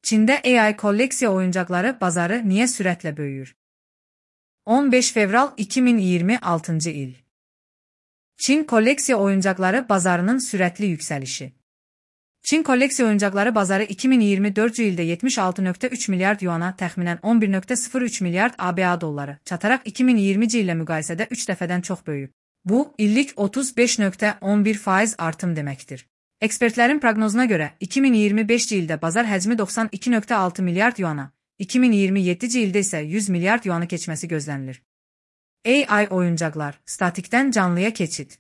Çində AI kolleksiya oyuncaqları bazarı niyə sürətlə böyüyür? 15 fevral 2026 il. Çin kolleksiya oyuncaqları bazarının sürətli yüksəlişi. Çin kolleksiya oyuncaqları bazarı 2024 ildə 76,3 milyard yuana, təxminən 11,03 milyard ABA dolları çataraq 2020 illə müqayisədə 3 dəfədən çox böyüyüb. Bu, illik 35,11% artım deməkdir. Ekspertlərin proqnozuna görə 2025 ildə bazar həcmi 92,6 milyard yuana, 2027 ildə isə 100 milyard yuanı keçməsi gözlənilir. AI oyuncaqlar, statikdən canlıya keçid.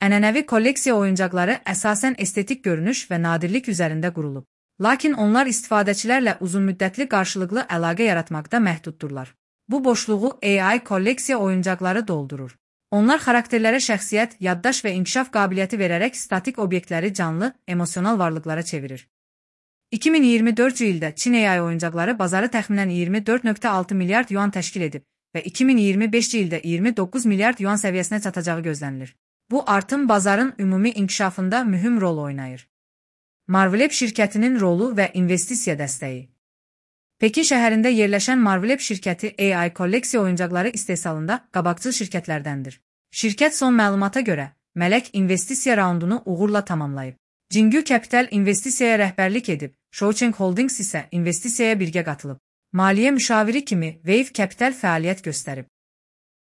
Ənənəvi kolleksiya oyuncaqları əsasən estetik görünüş və nadirlik üzərində qurulub. Lakin onlar istifadəçilərlə uzunmüddətli qarşılıqlı əlaqə yaratmaqda məhduddurlar. Bu boşluğu AI kolleksiya oyuncaqları doldurur. Onlar xarakterlərə şəxsiyyət, yaddaş və inkişaf qabiliyyəti verərək statik obyektləri canlı, emosional varlıqlara çevirir. 2024 ildə Çin AI oyuncaqları bazarı təxminən 24,6 milyard yuan təşkil edib və 2025 ildə 29 milyard yuan səviyyəsinə çatacağı gözlənilir. Bu artım bazarın ümumi inkişafında mühüm rol oynayır. Marvelab şirkətinin rolu və investisiya dəstəyi. Pekin şəhərində yerləşən Marvelab şirkəti AI kolleksiya oyuncaqları istehsalında qabaqcıl şirkətlərdəndir. Şirkət son məlumata görə mələk investisiya raundunu uğurla tamamlayıb. Jingyu Capital investisiyaya rəhbərlik edib, Shoucheng Holdings isə investisiyaya birgə qatılıb. Maliyyə müşaviri kimi Wave Capital fəaliyyət göstərib.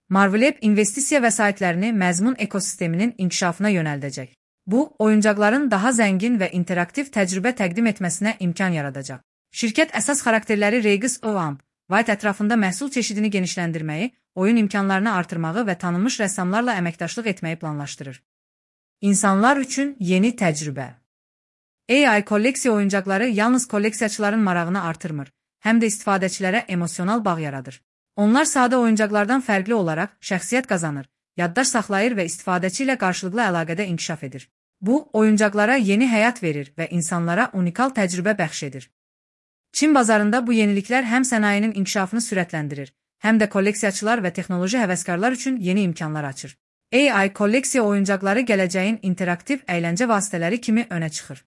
Marvelab investisiya vəsaitlərini məzmun ekosisteminin inkişafına yönəldəcək. Bu, oyuncaqların daha zəngin və interaktiv təcrübə təqdim etməsinə imkan yaradacaq. Şirkət əsas xarakterləri Regis Oamp, White ətrafında məhsul çeşidini genişləndirməyi, oyun imkanlarını artırmağı və tanınmış rəssamlarla əməkdaşlıq etməyi planlaşdırır. İnsanlar üçün yeni təcrübə. AI kolleksiya oyuncaqları yalnız kolleksiyaçıların marağını artırmır, həm də istifadəçilərə emosional bağ yaradır. Onlar sadə oyuncaqlardan fərqli olaraq şəxsiyyət qazanır, yaddaş saxlayır və istifadəçi ilə qarşılıqlı əlaqədə inkişaf edir. Bu, oyuncaqlara yeni həyat verir və insanlara unikal təcrübə bəxş edir. Çin bazarında bu yeniliklər həm sənayenin inkişafını sürətləndirir, həm də kolleksiyaçılar və texnoloji həvəskarlar üçün yeni imkanlar açır. AI kolleksiya oyuncaqları gələcəyin interaktiv əyləncə vasitələri kimi önə çıxır.